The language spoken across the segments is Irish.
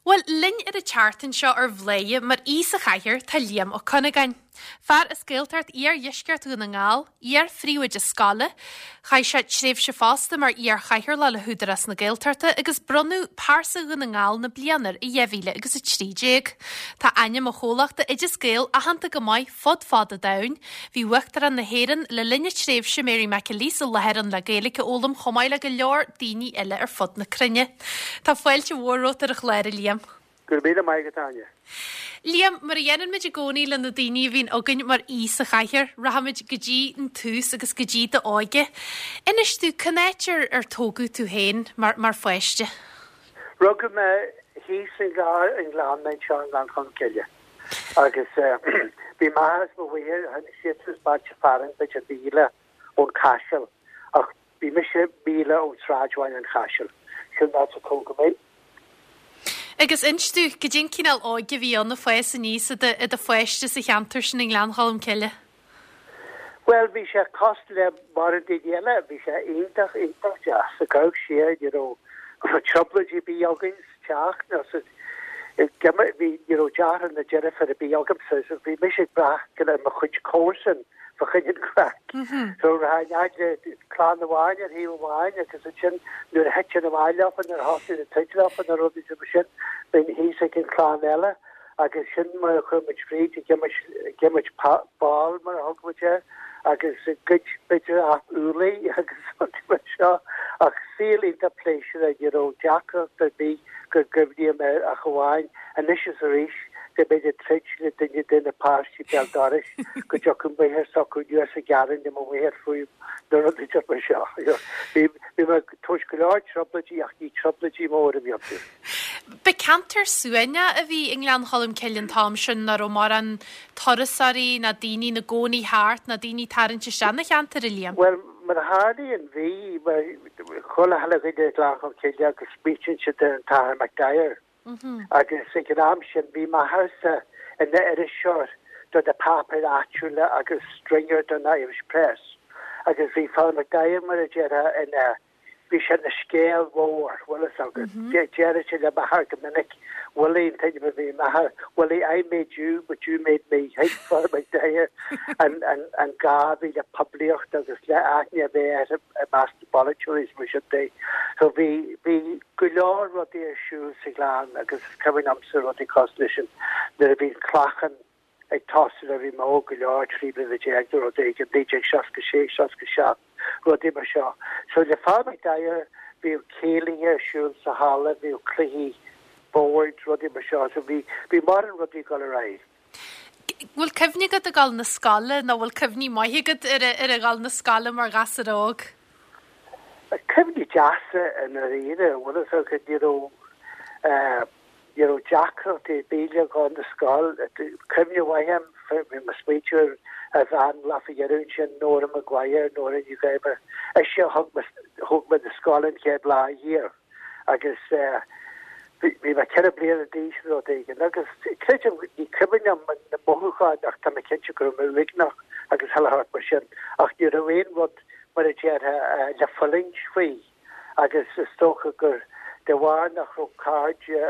Bhuel, linn ar an tseachtain seo ar Bhladhaire mar aoi sa chathaoir tá Liam Ó Cuinneagáin. Fear as Gaeltacht Iar-Dheisceart Dhún na nGall, iar-phríomhoide scoile, chaith sé tréimhse fosta mar iar-chathaoirleach le hÚdarás na Gaeltachta agus bronnadh Pearsa Dhún na nGall na Bliana air i 2013. Tá ainm a chomhlachta Oideas Gael aitheanta go maith fud fad an domhain. Bhí Uachtarán na hÉireann le linn a tréimhse, Mary McAleese, i láthair ann le Gaeilge a fhoghlaim chomh maith le go leor daoine eile ar fud na cruinne. Tá fáilte mhór romhat ar an chlár, a Liam. Go raibh míle maith agat, Áine. Liam, mar a dhéanann muid i gcónaí le na daoine a bhíonn againn mar aoi sa chathaoir, rachaimid go dtí an tús agus go dtí d'óige. Inis domh, cén áit ar ar tógadh tú féin mar mar pháiste? Rugadh mé thíos i nGleann anseo i nGleann Cholm Cille. Agus bhí m'athair is mo mháthair, tháinig siadsan as bailte fearainn b'fhéidir míle ón Chaiseal, ach bhí mise míle ón sráidbhaile an Chaisil. Sin an áit a tógadh mé. Agus inis domh, goidé an cineál óige a bhí ann ag fás aníos i do pháiste sa cheantar sin i nGleann Cholm Cille? Bhuel, bhí sé cosúil le mórán daoine eile, bhí sé iontach, iontach deas. Ag amharc siar, ní raibh trioblóidí ar bith againn sa teach nó sa, bhí, ní raibh deartháir ná deirfiúr ar bith agamsa, so bhí mise ag brath ar mo chuid comharsan fá choinne an chraic. So rachainn fhad le clann amháin ar thaobh amháin agus ansin nuair a thitinn amach leofa, nuair a thosnaigh an troid leofa nó rudaí mar sin, bheinn thíos ag an chlann eile. Agus sin mar a chuir muid fríd, ag imirt, ag imirt ball mar a thug muid air, agus ag goid b'fhéidir úllaí agus rudaí mar seo. Ach saol iontach pléisiúrtha, ní raibh deacracht ar bith go gcuimhním air ach amháin anois is arís go mbeinn ag troid le duine de na páistí béal dorais go dtiocfadh máthair s'acu anuas ag gearán le mo mháthair fúm nó rudaí mar seo. Bhí mé ag tabhairt go leor trioblóidí ach ní trioblóidí móra a bhí iontu. Ba ceantar suaimhneach a bhí i nGleann Cholm Cille an t-am sin, nach raibh mórán turasóirí ná daoine ina gcónaí thart ná daoine ag tarraingt isteach 'na cheantar, a Liam. Bhuel, mar a tharlaíonn, bhí, mar chuile chuile dhuine i nGleann Cholm Cille agus smaoitíonn siad ar an tAthair McDyer. Agus ag an am sin bhí m'athairse ina iriseoir do na páipéir áitiúla agus stringer don Irish Press. Agus bhí Father McDyer, mar a déarfá, ina Bhí sé ina scéal mhór, bhfuil fhios agat. Deireadh sé le m'athair go minic, Willie an t-ainm a bhí ar m'athair, Willie, I made you, but you made me. Thuig Father McDyer an gá a bhí le poiblíocht agus le aithne a bheith air i measc na bpolaiteoirí is mar sin de. So bhí, bhí go leor rudaí ar siúl sa ghleann agus is cuimhin liomsa rudaí cosúil leis sin nuair a bhí an clachán ag tosú nuair a bhí mé óg go leor, 13 bliana nó rud éigin, 1966, 67, rudaí mar seo. So le Father McDyer bhíodh céilithe ar siúl sa halla, bhíodh cluichí boird, rudaí mar seo, so bhí, bhí mórán rudaí ag dul ar aghaidh. Bhfuil cuimhne agat ag dul 'na scoile nó bhfuil cuimhní maithe agat ar a dhul 'na scoile mar ghasúr óg? Cuimhní deasa i ndáiríre, bhfuil fhios agat, ní raibh eh, Ní raibh deacrachtaí ar bith le dhul 'na scoil. Cuimhne mhaith agam, bhí mé ag smaointiú ar ar bhean lá faoi dheireadh ansin, Nóra Maguire, Nóra Ní Gháibir. Ise a thug mé thóg mé 'na scoile an chéad lá thiar agus bhí bhí mé 4 bliana d'aois nó rud éigin agus creidim, ní cuimhin liom na mothúcháin ach tá mé cinnte go raibh mé uaigneach agus chuile shórt mar sin ach ní raibh aon rud mar a déarfá le fulaingt faoi. agus is dócha gur de bharr nach raibh cairde,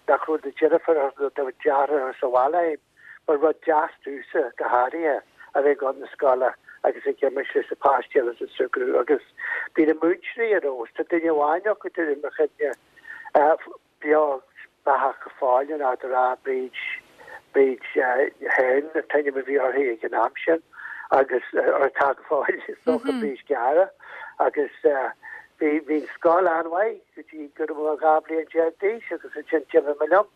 nach raibh na deirfiúracha nó na deartháireacha sa bhaile a'm, ba rud deas domhsa, go háirithe, a bheith ag dul 'na scoile agus ag imirt leis na páistí eile is ag súgradh agus bhí na múinteoirí ar fheabhas, tá duine amháin acu atá i mo chuimhne, beo beathach go fóill in Ard an Rátha, Bríd, Bríd Hearne an t-ainm a bhí uirthi ag an am sin agus, or atá go fóill, is dócha, Bríd Geara agus bhí, bhí an scoil an-mhaith go dtí go raibh mé 12 bliain d'aois agus ansin d'imigh mé liom.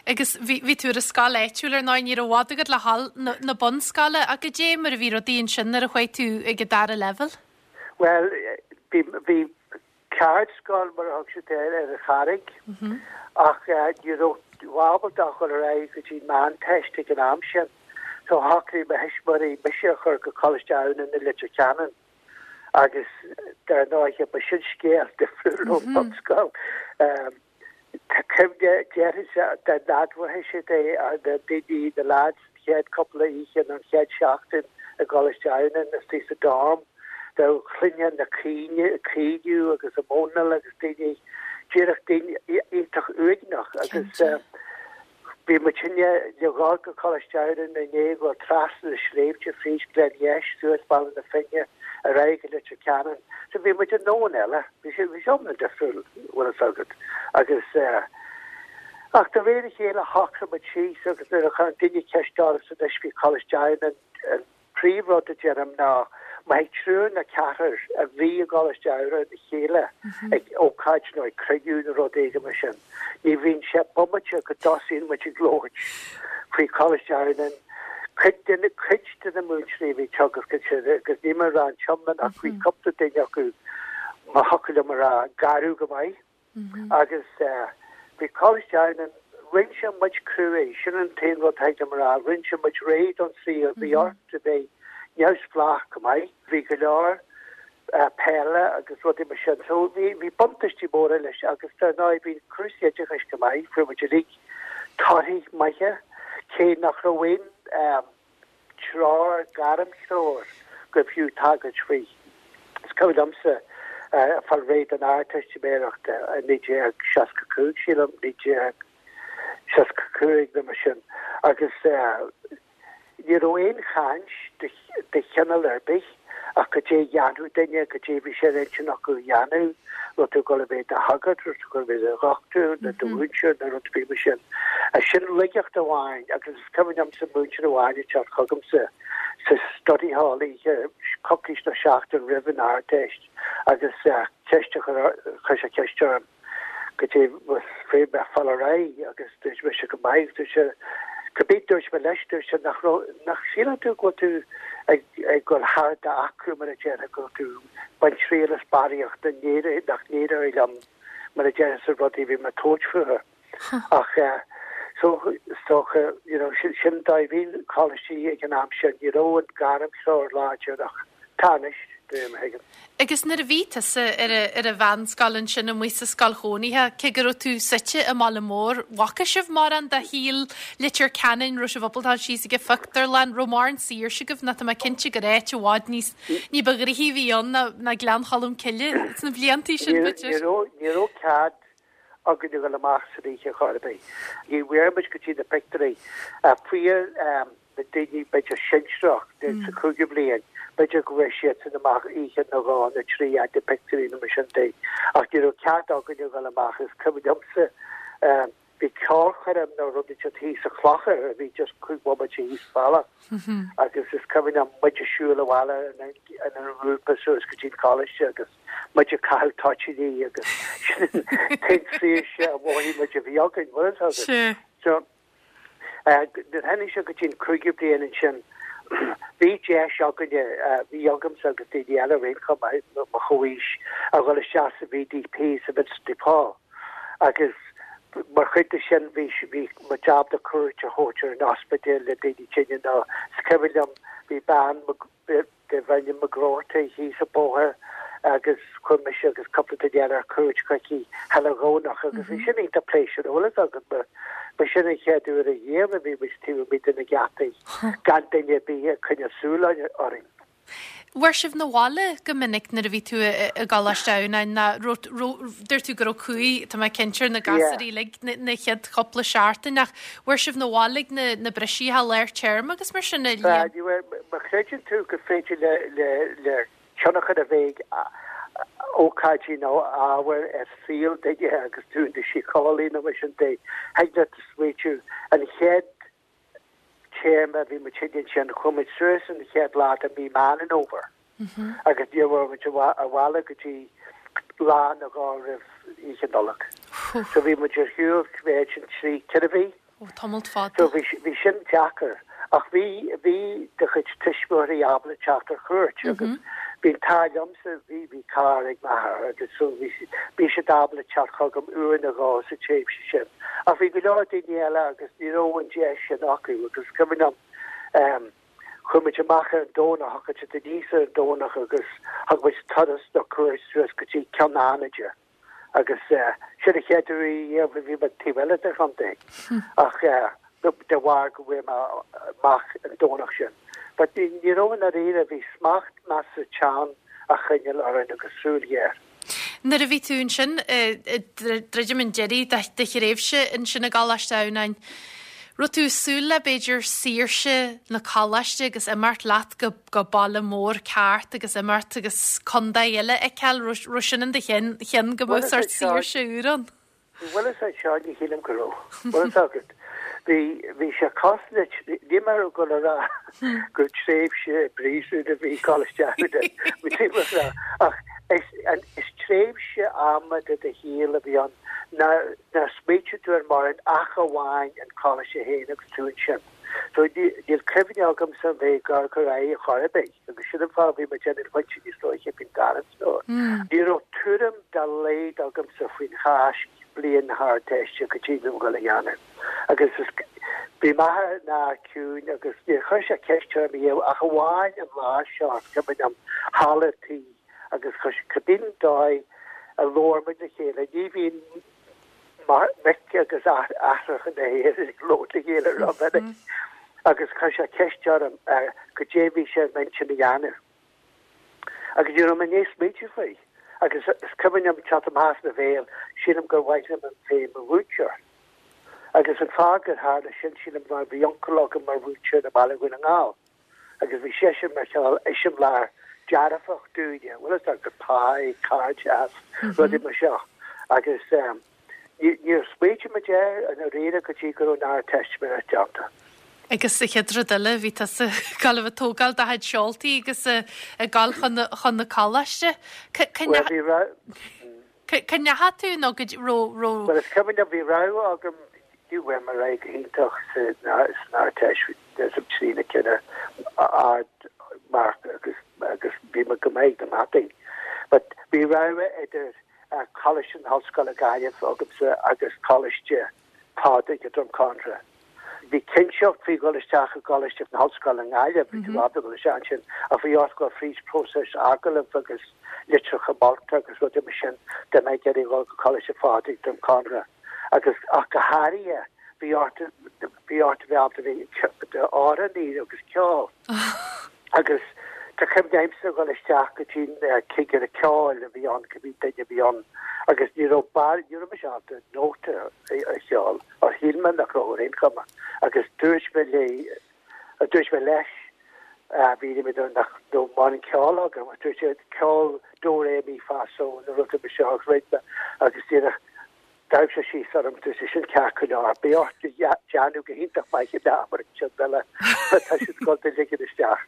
Agus bhí, bhí tú ar an scoil áitiúil ar ndóigh, ní raibh i bhfad agat le dhul 'na, na bunscoile ach goidé mar a bhí rudaí ansin nuair a chuaigh tú ag an dara leibhéal? Bhuel, bhí, bhí ceardscoil, mar a thug siad air, ar an Charraig, ach ní raibh tú ábalta a dhul ar aghaidh go dtí an Meánteist ag an am sin, so shocraigh mo thuismitheoirí mise a chur go Coláiste Adhamhnáin i Leitir Ceanainn agus dar ndóighe ba sin scéal difriúil ón mbunscoil. Tá cuimhne, déarfainnse, dá n-admhódh siad é, na daoine, na lads, an chéad cúpla oíche nó an chéad seachtain i gColáiste Adhamhnáin istigh sa dorm, dá gcluinfeá na caoineadh agus an mhóineáil agus daoine. díreach daoine iontach uaigneach agus bhí muidinne le dhul go Coláiste Adhamhnáin i ndiaidh dhul trasna na sléibhte fríd Gleann Gheis suas Bealach na Finne ar aghaidh go Leitir Ceanainn. So bhí muid i ndomhan eile. Bhí sé bhí sé iomlán difriúil, bhfuil fhios agat. Agus ach de réir a chéile shocraigh muid síos agus nuair a chuir duine ceist ormsa anois faoi Choláiste Adhamhnáin an príomhrud a deirim ná má thig triúr nó ceathrar a bhí i gColáiste Adhamhnáin le chéile ag ócáid nó ag cruinniú nó rud éigin mar sin, ní bhíonn sé bomaite go dtosaíonn muid ag labhairt faoi Choláiste Adhamhnáin. Cuid de na, cuid de na múinteoirí a bhí ag teagasc ansin, agus níl mé ag rá an t-iomlán ach bhí cúpla duine acu, má thiocfadh liom a rá, garbh go maith. Agus bhí Coláiste Adhamhnáin, rinne sé muid cruaidh, sin an t-aon rud a thig liom a rá, rinne sé muid réidh don saol, bhí ort a bheith neamhspleách go maith, bhí go leor peile agus rudaí mar sin, so bhí, bhí buntáistí móra leis agus dar ndóigh bhí cúrsaí oideachais go maith, fuair muid uilig torthaí maithe, cé nach raibh aon treoir, gairmthreoir go fiú tagairt faoi. Is cuimhin liomsa fáil réidh don Ardteistiméireacht i 1965, sílim, 1965 nó mar sin, agus ní raibh aon chaint de chineál ar bith ach goidé a dhéanfadh duine, goidé a bhí sé ar intinn acu a dhéanamh, raibh tú ag dul a bheith i do shagart, raibh tú ag dul a bheith i do dhochtúir nó do mhúinteoir nó rud ar bith mar sin. Sin laigeacht amháin agus is cuimhin liomsa múinteoir amháin ag teacht chugamsa sa study hall oíche coicís nó seachtain roimh an Ardteist agus ceist a chur, chuir sé ceist orm goidé bhí mé ag fáil ar aghaidh agus dúirt mise go maith, dúirt sé, cibé dúirt mé leis, dúirt sé nach raibh, nach síleann tú go bhfuil tú ag, ag dul thar d'acra mar a déarfá, go bhfuil tú ag baint triail as barraíocht nach n-éireoidh liom mar a déarfá sna rudaí a bhí mé ag tabhairt fúthu. Ach so is dócha, you know, sin an dóigh a bhí na coláistí ag an am sin, ní raibh an gairmthreoir láidir ach tá anois, de réir mar a thuigim. Agus nuair a bhí tusa ar ar an mheánscoil ansin amuigh sa scoil chónaithe, cé go raibh tú suite i mbaile mór, bhfaca sibh mórán de shaol Leitir Ceanainn, raibh sibh ábalta dul síos ag an phictiúrlann, raibh mórán saoirse agaibh nó tá mé cinnte gur áit i bhfad níos ní ba ghnoithí a bhí ann ná ná Gleann Cholm Cille sna bliantaí sin, b'fhéidir. Ní raibh, ní raibh cead againn a dhul amach san oíche chor ar bith. Ní bhfuair muid go dtí na pictiúirí. Fuair na daoine b'fhéidir sinsearach sa chúigiú bliain, b'fhéidir go bhfuair siadsan amach oíche nó dhó nó trí fhad na pictiúirí nó mar sin de. Ach ní raibh cead againn a dhul amach. Is cuimhin liomsa bhí ceolchoirm nó rud inteacht thíos sa Chlochar a bhí just cúig bhomaite thíos bealach agus is cuimhin liom muid ag siúl abhaile inár ngrúpa suas go dtí an coláiste agus muid ag caitheamh toitíní agus sin an t-aon saoirse a mhothaigh muid a bhí againn, bhfuil fhios agat. So, nuair a tháinig sé go dtí an cúigiú bliain ansin, bhí deis againne, bhí agamsa agus daoine eile araon chomh maith, mo chomhaois, a dhul isteach sa VDP, sa Vincent de Paul, agus mar chuid de sin bhí bhí muid ábalta cuairt a thabhairt ar an ospidéal le daoine tinne nó is cuimhin liom bhí bean darbh ainm McGroarty thíos an bóthar agus chuaigh mise agus cúpla duine eile ar cuairt chuici chuile Dhomhnach agus bhí sin iontach pléisiúrtha, bhfuil fhios agat, mar ba sin an chéad uair ariamh a bhí muid taobh amuigh de na geataí gan duine ar bith ag coinneáil súil orainn. Bhfuair sibh na bhaile go minic nuair a bhí tú i gColáiste Adhamhnáin ná raibh, dúirt tú go raibh cumhaidh, tá mé cinnte, ar na gasúirí uilig na chéad chúpla seachtain ach bhfuair sibh na bhaile ag na na briseadh lár téarma agus mar sin a Liam? Má chreideann tú gur féidir le le le tionchar a bheith ag ócáidí nó ábhair ar saol duine agus tú i do shíceolaí nó mar sin de, thig leat smaoitiú an chéad téarma a bhí muid ansin, chuaigh muid suas an chéad lá de mí Meán an Fhómhair agus ní raibh muid abhaile go dtí lá nó dhó roimh Oíche Nollag. So bhí muid ar shiúl b'fhéidir sin trí, ceithre mhí. Ó, tamall fada. So bhí, bhí sin deacair. Ach bhí, bhí do chuid tuismitheoirí ábalta teacht ar chuairt agus bhí an t-ádh liomsa, bhí, bhí carr ag m'athair agus so bhí, bhí siad ábalta teacht chugam uair nó dhó sa tréimhse sin. Ach bhí go leor daoine eile agus ní raibh an deis sin acu agus is cuimhin liom ehm chuaigh muid amach ar an Domhnach, thagadh siad aníos ar an Domhnach agus thug muid turas nó cuairt suas go dtí Ceann Fhánaide agus eh sin an chéad uair riamh a bhí mé taobh eile den chontae ach eh de bharr go bhfuair mé amach an Domhnach sin. But ní ní raibh i ndáiríre, bhí smacht measartha teann á choinneáil orainn agus súil ghéar. Nuair a bhí tú ansin ag druidim an deiridh de thréimhse ansin i gColáiste Adhamhnáin, raibh tú ag súil le b'fhéidir saoirse na coláiste agus imeacht leat go go baile mór ceart agus imeacht agus contae eile a fheiceáil, raibh sin in do cheann go mbeadh sórt saoirse úr ann? Bhuel is é seo, ní shílim go raibh. Bhfuil fhios agat, bhí, bhí sé cosúil le, níl mé ag dul a rá gur tréimhse i bpríosún a bhí i gColáiste Adhamhnáin, níl mé ag rá, ach is, is tréimhse ama de do shaol a bhí ann nár, nár smaoitigh tú ar mórán ach amháin an coláiste féin agus tú ansin. So níl cuimhne agamsa a bheith ag amharc ar aghaidh ar chor ar bith agus sin an fáth a bhí mé ag déanamh an phointe níos luaithe faoin dtarraingt seo. Ní raibh tuairim dá laghad agamsa faoin Cháisc bliain na hArdteiste go dtí bhí mé ag dul a dhéanamh. Agus is bhí m'athair ina fhear ciúin agus níor chuir sé ceist orm riamh ach amháin an lá seo is cuimhin liom halla tí agus chuir sé cibé dóigh a labhair muid le chéile. Ní bhíonn mic agus aithreacha na hÉireann ag labhairt le chéile rómhinic agus chuir sé ceist orm goidé bhí sé i m'intinn a dhéanamh. Agus ní raibh mé i ndiaidh smaointiú faoi. Agus is cuimhin liom teacht amach as mo bhéal, sílim gur mhaith liom bheith i mo mhúinteoir. Agus an fáth gur tharla sin, sílim, mar bhí uncail agam mar mhúinteoir i mBaile Dhún na nGall. Agus bhí seisean mar chineál eiseamláir dearfach dúinne, bhfuil fhios agat, pá, cairdeas, rudaí mar seo. Agus níor smaoitigh muid air i ndáiríre go dtí go raibh an Ardteistiméireacht déanta. Agus sa chéad rud eile, bhí tusa ag dul a bheith ag tógáil do chuid seoltaí agus ag dul chun na coláiste. Bhuel, bhí Cá ndeachaigh tú nó go raibh, raibh. Bhuel is cuimhin liom, bhí rogha agam, ní bhfuair mé ar aghaidh go hiontach san Ardteist, bhí trína chéile ard marc agus agus bhí mé go maith ag na mataí. But bhí rogha idir Coláiste na hOllscoile Gaillimh agamsa agus Coláiste Phádraig i Droim Conrach. Bhí cinnteacht faoi dhul isteach i gColáiste na hOllscoile i nGaillimh, bhí tú ábalta dul isteach ansin, ach bhí ort dul fríd próiseas agallaimh agus litreacha molta agus rudaí mar sin dá mbeifeá ag iarraidh dhul go Coláiste Phádraig, Droim Conrach. Agus, ach go háirithe, bhí ort, bhí ort a bheith ábalta bheith i d'amhránaí agus ceol. Agus tá cuimhne agamsa dhul isteach go dtí an cigire ceoil a bhí ann, cibé duine a bhí ann, agus ní raibh bar, ní raibh mise ábalta nóta a cheol, or shíl mé nach raibh ar aon chuma, agus dúirt mé léi, dúirt mé leis, bhí mé nach raibh mórán ceoil agam, agus dúirt sé ceol dó ré mí fá só nó rud mar seo agus rinne mé agus díreach D'amharc sé síos orm, dúirt sé, sin ceart go leor, beidh ort déanamh go hiontach maith in abairt sin eile, tá siad ag dul do ligean isteach.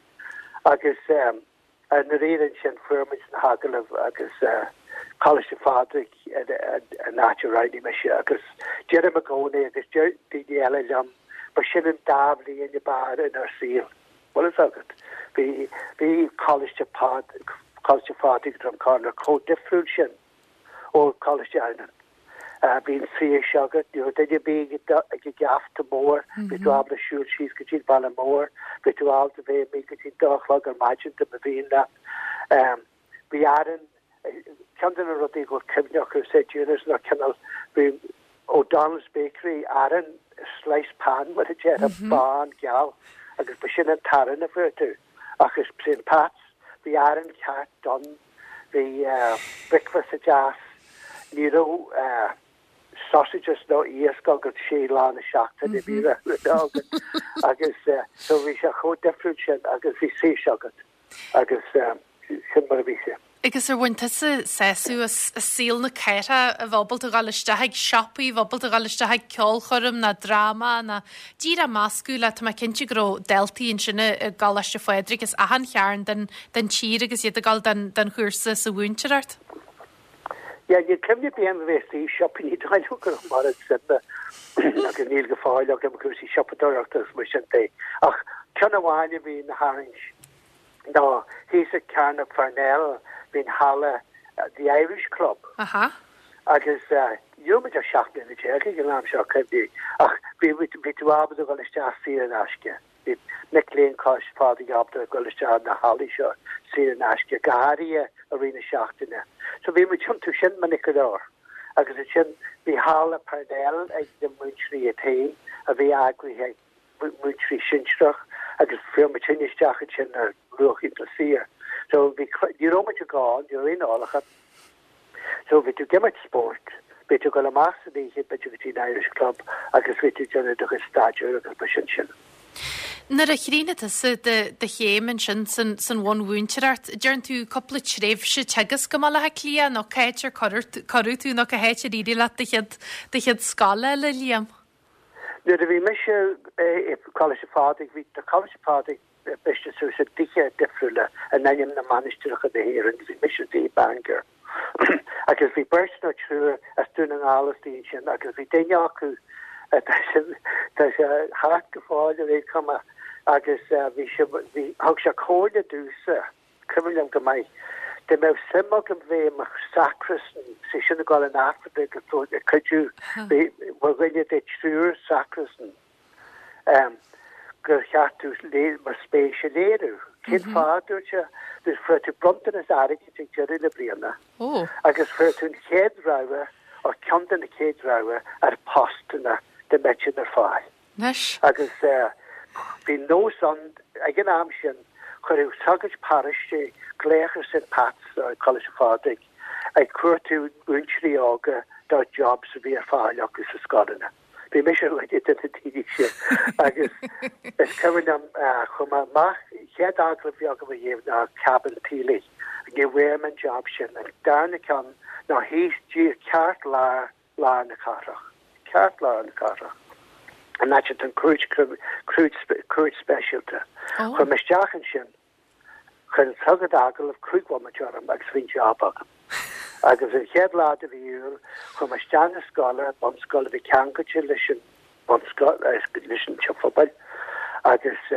Agus i ndáiríre ansin fuair muid na hagallaimh agus Coláiste Phádraig an áit a roghnaigh mise agus deirim i gcónaí agus deir daoine eile liom, ba sin an dá bhliain ab fhearr inár saol. Bhfuil fhios agat, bhí, bhí Coláiste Coláiste Phádraig Droim Conrach chomh difriúil sin. ó Choláiste Adhamhnáin. Bhí an saoirse agat, ní raibh duine ar bith ag an gheafta mór, bhí tú ábalta siúl síos go dtí an baile mór, bhí tú ábalta bheith amuigh go dtí an dá a chlog ar maidin dá mba mhian leat. Bhí arán, ceann de na rudaí go bhfuil cuimhne acu sa Dúnas ná cineál, bhí O'Donnell's Bakery arán slice pan mar a déarfá, bán geal agus ba sin an t-arán a fuair tú. Ach i St Pat's bhí arán ceart donn Bhí bricfeasta deas. Ní raibh sausages nó iasc agat sé lá na seachtaine, bhí rud agat agus so bhí sé chomh difriúil sin agus bhí saoirse agat agus sin mar a bhí sé. Agus ar bhain tusa sásamh as saol na cathrach, a bheith ábalta a dhul isteach ag siopaí, a bheith ábalta a dhul isteach ag ceolchoirm ná dráma ná díreach meascadh le, tá mé cinnte go raibh daltaí ansin i gColáiste Phádraig as achan chearn den den tír agus iad ag dul don chúrsa sa mhúinteoireacht. Yeah, níl cuimhne ar bith agam a bheith istigh i siopa, ní dóigh liom go raibh mórán suime agus níl go fóill agam i gcúrsaí siopadóireachta agus mar sin de. Ach ceann amháin a bhí ina tharraingt ná thíos ag Cearnóg Pharnell bhí an halla The Irish Club. Aha. Agus ní raibh muid ach 17 mbliana ag an am seo, cuimhnigh, ach bhí, bhí tú ábalta dul isteach saor in aisce. Bhí mic léinn Choláiste Phádraig ábalta dul isteach na hallaí seo saor in aisce, go háirithe i rith na seachtaine. So bhí muid iontu sin minic go leor. Agus ansin bhí halla Parnell ag na múinteoirí iad féin a bhí eagraithe ag múinteoirí sinsearach agus fuair muid sin isteach ansin ar luach iontach saor. So bhí, ní raibh muid ag ól, ní raibh aon ólachán. So bhí tú ag imirt spóirt, bhí tú ag dul amach san oíche b'fhéidir go dtí an Irish Club agus bhí tú ag déanamh do chuid staidéir agus mar sin sin. Nuair a chríochnaigh tusa do chéim ansin san bhunmhúinteoireacht, deireann tú cúpla tréimhse teagasc i mBaile Átha Cliath nó cá háit ar cuireadh tú nó cá háit ar éirigh leat do chéad do chéad scoil a fháil, a Liam? Nuair a bhí mise i Coláiste Phádraig, bhí Coláiste Phádraig briste suas i dtithe difriúla in ainm na mainistreacha na hÉireann. Bhí mise i dtigh Bangor agus bhí beirt nó triúr as Dún na nGall istigh ansin agus bhí duine acu tá sé thart go fóill ar aon chuma agus bhí sé bhí thug sé comhairle domhsa cuimhin liom go maith dá mbeadh suim agam bheith i mo sacristan sé sin ag dul in Aifreann agus ag cuidiú mar dhuine de triúr sacristan. gur cheart domh mo spéis a léiriú. Cén fáth, a dúirt sé? Dúirt, fuair tú bronntanas airgid ag deireadh na bliana agus fuair tú an chéad rogha, nó ceann de na chéad rogha, ar postanna dá mbeadh siad ar fáil. Anois. Agus bhí nós ann ag an am sin, chuireadh sagairt paróiste glaoch ar St Pat's, Coláiste Phádraig, ag cuartú múinteoirí óga do jobs a bhí ar fáil acu sa scoileanna. Bhí mise ar dhuine de na daoine sin agus is cuimhin liom chuaigh mé amach, chéad agallamh a bhí agam ariamh ná Cabin Tealach. Ní bhfuair mé an job sin. An darna ceann ná thíos díreach ceartlár lár na cathrach. Ceartlár na cathrach. An áit atá an cúirt cúirt speisialta. Chuaigh mé isteach ansin. Chuir an sagart agallamh 5 bhomaite orm agus bhí an job agam. Agus an chéad lá de mhí Iúil, chuaigh mé isteach na scoile, bunscoil a bhí ceangailte leis an bunscoil, leis an teach phobail, agus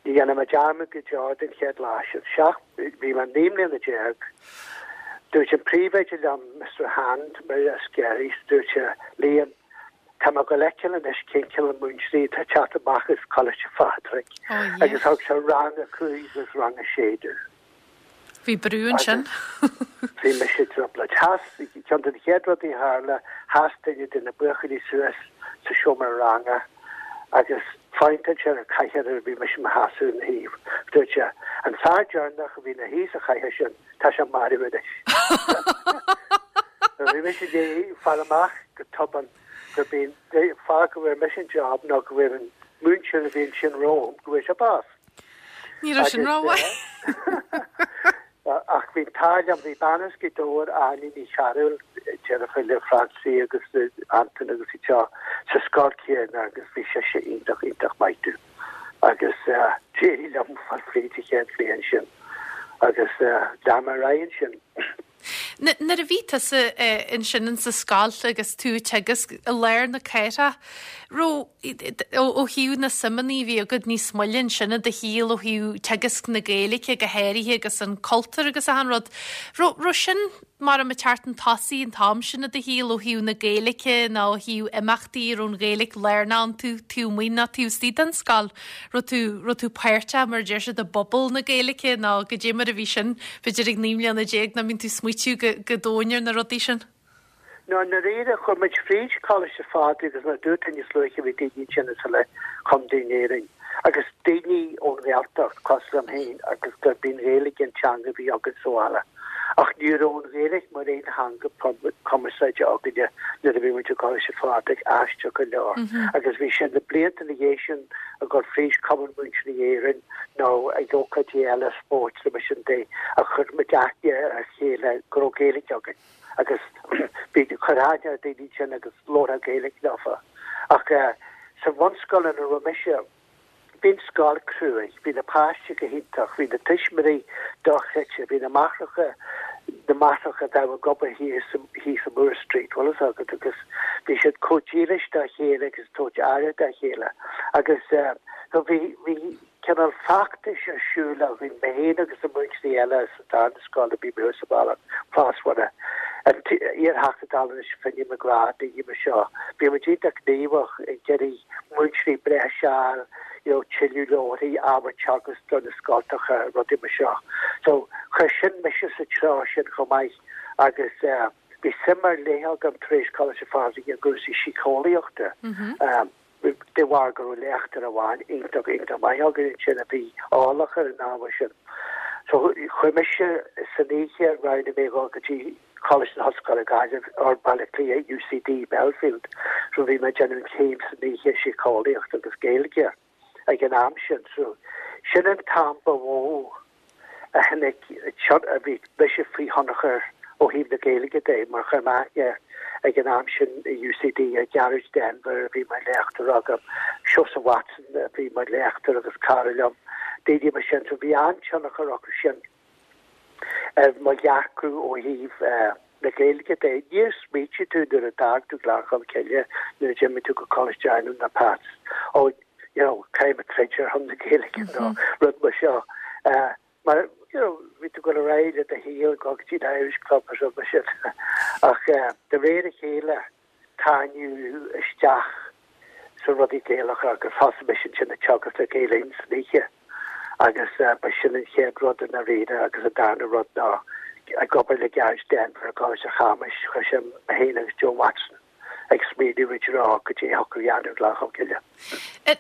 ní dhéanfaidh mé dearmad go deo den chéad lá sin. Seacht, bhí mé 19 mbliana. Dúirt an príomhoide liom, Mister Hand, mar as Skerries, dúirt sé, Liam, Tá mé ag dul a fheiceáil anois cén cineál múinteoirí atá ag teacht amach as Coláiste Phádraig agus thug sé rang a 5 agus rang a 6 domh. Bhí brú ansin. Bhí mise i dtrioblóid. Sheas, ceann de na chéad rudaí a tharla, sheas duine de na buachaillí suas sa seomra ranga agus phointeáil sé ar an chathaoir a bhí mise i mo sheasamh ina thaobh. Dúirt sé, an fear deireanach a bhí ina shuí sa chathaoir sin, tá sé marbh anois. Bhí mise i ndiaidh fáil amach go tobann gurb é an fáth go bhfuair mise an job ná go bhfuair an múinteoir a bhí ansin romham, go bhfuair sé bás. Ní raibh sin rómhaith. Ach bhí an t-ádh liom, bhí bean as Gaoth Dobhair, Áine Ní Chearúil, deirfiúr le Francie agus le Antain agus iad seo, sa scoil chéanna agus bhí sise iontach, iontach maith domh. Agus d'éirigh liom fáil fríd an chéad bhliain sin agus lean mé ar aghaidh ansin. Nuair a bhí tusa ansin in sa scoil agus tú ag teagasc i lár na cathrach, raibh, ó thaobh na suimeanna a bhí agat níos moille ansin i do shaol ó thaobh teagasc na Gaeilge go háirithe agus an cultúr agus achan rud, raibh, raibh sin mar ag teacht chun tosaigh an t-am sin i do shaol ó thaobh na Gaeilge nó ó thaobh imeachtaí a raibh an Ghaeilge lárnach iontu taobh amuigh nó taobh istigh den scoil? Raibh tú, raibh tú páirteach mar a deir siad i bpobal na Gaeilge nó goidé mar a bhí sin, b'fhéidir ag 19 mbliana nach mbíonn tú ag smaoitiú go, go domhain ar na rudaí sin? No, i ndáiríre, chuaigh muid fríd Coláiste Phádraig agus mar a dúirt tú níos luaithe bhí daoine ansin as uile chontae in Éirinn agus daoine ón Ghaeltacht cosúil liom féin agus gurb í an Ghaeilge an teanga a bhí againn sa bhaile. Ach ní raibh an Ghaeilge mar aon theanga cumarsáide againne nuair a bhí muid i gColáiste Phádraig, aisteach go leor. Agus bhí sé na blianta ina dhiaidh sin ag dul fríd Cumann Múinteoirí Éireann nó ag ócáidí eile spóirt nó mar sin de a chuir muid aithne ar a chéile go raibh Gaeilge againn. agus bhí chuir aithne ar daoine ansin agus labharfá Gaeilge leofa. Ach sa bhunscoil ina raibh mise, bhí an scoil cruaidh, bhí na páistí go hiontach, bhí na tuismitheoirí dochreidte, bhí na máithreacha, na máithreacha a bheadh ag obair thíos, thíos i Moore Street, bhfuil fhios agat, agus bhí siad chomh dílis dá chéile agus ag tabhairt aire dá chéile. Agus so bhí, bhí, cineál feachtais ar siúl againn, mé féin agus na múinteoirí eile sa darna scoil a bhí mé sa bhaile, Plás Mhuire, an t-iar-Theachta Dála anois, Finny McGrath, daoine mar seo. Bhí muid iontach gníomhach ag iarraidh múinteoirí breise a fháil, you know, tuilleadh leabharthaí, ábhar teagasc do na scoltacha, rudaí mar seo. So, chuir sin mise sa treo sin chomh maith agus eh, bhí suim ar leith agam tar éis Coláiste Phádraig i gcúrsaí síceolaíochta. Um, de bharr go raibh léachtóir amháin iontach, iontach maith againn ansin a bhí eolach ar an ábhar sin. So chuaigh mise san oíche, roghnaigh mé dhul go dtí Coláiste na hOllscoile Gaillimh, or Baile Átha Cliath, UCD, Belfield. So bhí mé ag déanamh an chéim san oíche, síceolaíocht agus Gaeilge ag an am sin. So sin an t-am ba mhó a tháinig, a bhí mise faoi thionchar ó thaobh na Gaeilge de, mar chuir mé aithne ag an am sin i UCD ar Gearóid Denvir a bhí mar léachtóir agam, Seosamh Watson a bhí mar léachtóir agus cara liom, daoine mar sin. So bhí an-tionchar acu sin ar mo dhearcadh ó thaobh na Gaeilge de. Níor smaoitigh tú nuair a d'fhág tú Gleann Cholm Cille, nuair a d'imigh tú go Coláiste Adhamhnáin ná Pat's, oh, you know, caithfidh mé troid ar son na Gaeilge nó rud mar seo. Mar, you know, bhí tú ag dul ar aghaidh le do shaol, ag dul go dtí an Irish Club agus rud mar sin. Ach de réir a chéile, tarraingíodh isteach sna rudaí Gaelacha agus thosaigh mise ansin ag teagasc le Gael Linn san oíche agus ba sin an chéad rud i ndáiríre agus an darna rud ná ag obair le Gearóid Denvir i gColáiste Chamuis, chuir sé mé féin agus Joe Watson ag smaoineamh i dtreo goidé a thiocfadh a dhéanamh i nGleann Cholm Cille.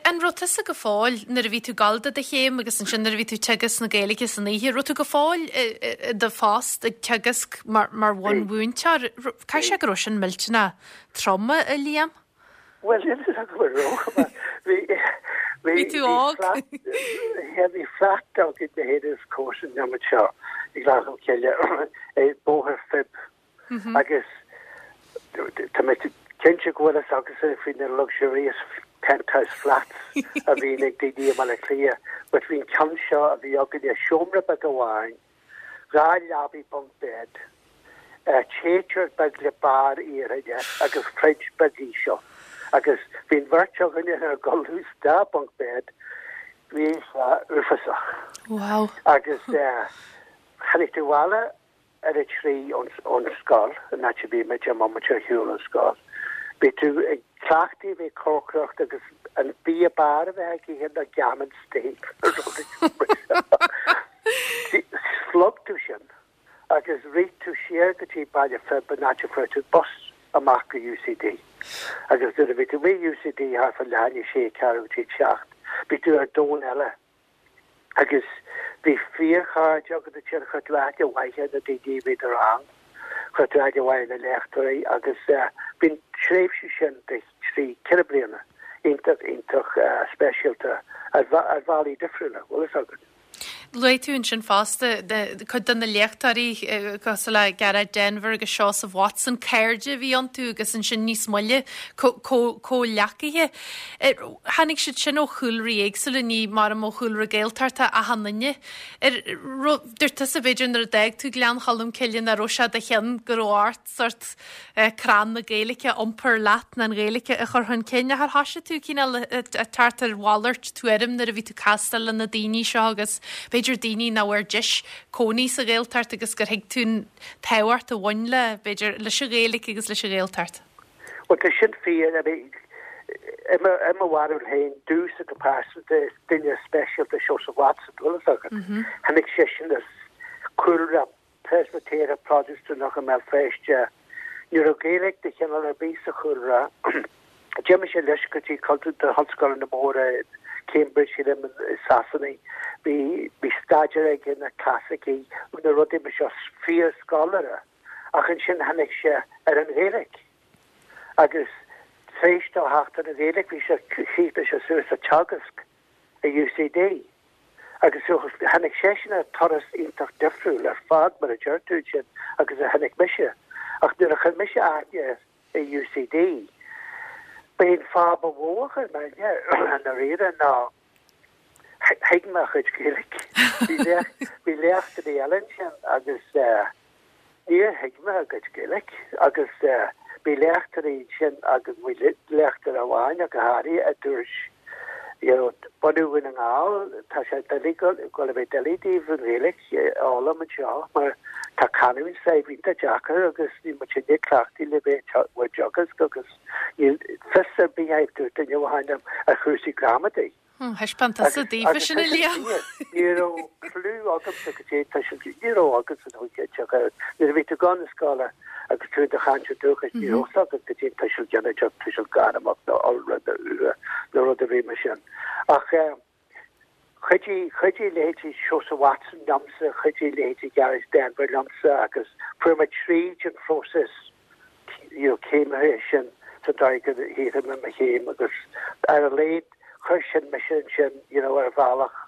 An raibh tusa go fóill, nuair a bhí tú ag gabháil do do chéim agus ansin nuair a bhí tú ag teagasc na Gaeilge san oíche, raibh tú go fóill i do phost ag teagasc mar bhunmhúinteoir? Caithfidh sé go raibh sin millteanach trom, a Liam? Bhuel, níl a fhios agam an raibh, mar bhí, bhí, Bhí tú óg. Bhí flat againn mé féin agus comharsan liom anseo i nGleann Cholm Cille, i Bóthar Phib. Agus tá mé cinnte go bhfuil fhios agatsa faoi na luxurious penthouse flats a bhíonn ag daoine i mBaile Átha Cliath, but bhí an ceann seo a bhí againne, seomra beag amháin, 2 leabaidh bunk bed, téiteoir beag le barr iarainn agus fridge beag íseal. Agus bhí an bheirt againne inár gcodladh sa dá bunk bed, bhí sé uafásach. Wow. Agus tháinig tú abhaile ar a 3 ón scoil, an áit a bhí muid, deich mbomaite ar shiúl ón scoil. Bhí tú ag cleachtadh a bheith ag cócaireacht agus an bia b'fhearr a bheith ag ithe ná gammon steak nó rud éigin mar seo. Shlog tú sin agus rith tú siar go dtí Baile Phib an áit a fuair tú bus amach go UCD. Agus nuair a bhí tú amuigh i UCD thart fá leath i ndiaidh a sé, ceathrú go dtí a seacht, bhí tú ar domhan eile. Agus bhí fíorchairde agat ansin, chuir tú aithne mhaith ar na daoine a bhí i do rang, chuir tú aithne mhaith ar na léachtóirí agus bhí an tréimhse sin de thrí, ceithre bliana iontach, iontach speisialta ar bhealaí difriúla, bhfuil fhios agat. Luaigh tú ansin fosta cuid de na léachtóirí cosúil le Gearóid Denvir agus Seosamh Watson, cairde a bhí iontu agus ansin níos moille comhghleacaithe. Tháinig siad sin ó chúlraí éagsúla, ní maram ó chúlra Gaeltachta achan duine. Ar raibh, dúirt tusa b'fhéidir nuair a d'fhág tú Gleann Cholm Cille nach raibh sé i do cheann go raibh ort sórt crann na Gaeilge a iompar leat nó an Ghaeilge a chur chun cinn. Ach ar thoisigh tú cineál ag teacht ar mhalairt tuairim nuair a bhí tú ag castáil le na daoine seo agus b'fhéidir daoine nach bhfuair deis cónaí sa Ghaeltacht agus gur thuig tú an tábhacht a bhain le, b'fhéidir, leis an Ghaeilge agus leis an Ghaeltacht? Bhuel, tá sin fíor. I mean, i mo, i mo bharúil féin, domhsa go pearsanta, is duine speisialta Seosamh Watson, bhfuil fhios agat. Tháinig seisean as cúlra Preispitéireach Protastúnach i mBéal Feirste. Ní raibh Gaeilge de chineál ar bith sa chúlra. D'imigh sé leis go dtí na hollscoileanna móra, Cambridge, sílim, i Sasana. Bhí, bhí staidéar aige ar na clasaicí, na rudaí mar seo, fíorscoláire. Ach ansin tháinig sé ar an Ghaeilge. Agus tar éis dó theacht ar an Ghaeilge bhí sé, chríochnaigh sé suas ag teagasc i UCD. Agus so tháinig seisean ar turas iontach difriúil ar fad mar a deir tú ansin agus a tháinig mise. Ach nuair a chuir mise aithne air i UCD, b'é an fáth ba mhó a chuir mé aithne air i ndáiríre ná thuig mé a chuid Gaeilge. Bhí léachtóirí eile ansin agus níor thuig mé a gcuid Gaeilge agus bhí léachtóirí ansin agus bhí léachtóir amháin ach go háirithe a dúirt you know bunadh Dhún na nGall tá sé doiligh gabháil a bheith doiligh daoibh an Ghaeilge a fhoghlaim anseo mar tá canúint s'agaibh iontach deacair agus níl muid inne cleachtaithe le bheith ag teagasc agus Níl fios ar bith agaibh, dúirt duine amháin liom, ar chúrsaí gramadaí. Thaispeáin tusa daofa sin, a Liam. Ní raibh clue agamsa goidé tuiseal, ní raibh agamsa nó nuair a bhí tú ag gabháil na scoile agus tú i do chainteoir dúchais, ní raibh fhios agat goidé tuiseal ginideach, tuiseal gairmeach nó iolra nó uatha nó rud ar bith mar sin. Ach. Chuidigh, chuidigh leithéidí Seosamh Watson liomsa, chuidigh leithéidí Gearóid Denvir liomsa agus fuair mé tríd an phróiseas you know céimithe sin sa dóigh gur shaothraigh mé mo chéim agus ar a laghad chuir sin mise ansin you know ar bhealach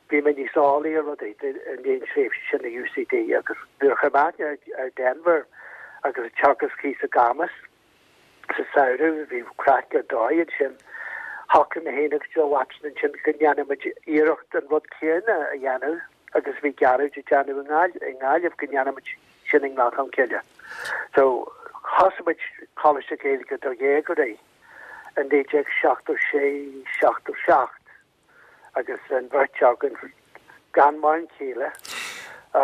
bhí mé níos eolaí ar rudaí i ndiaidh an tréimhse sin i UCD agus nuair a chuir mé aithne ar Denvir agus ag teagasc thíos i gCamus sa samhradh, bhí craic ar dóigh ansin. Shocraigh mé féin agus Joe Watson ansin go ndéanfadh muid iarracht an rud céanna a dhéanamh agus a bhí Gearóid ag déanamh i nGaillimh, go ndéanfadh muid sin i nGleann Cholm Cille. So, thosaigh muid Coláiste Gaeilge do dhéagóirí i 1976, 77 agus an bheirt againn gan mórán céille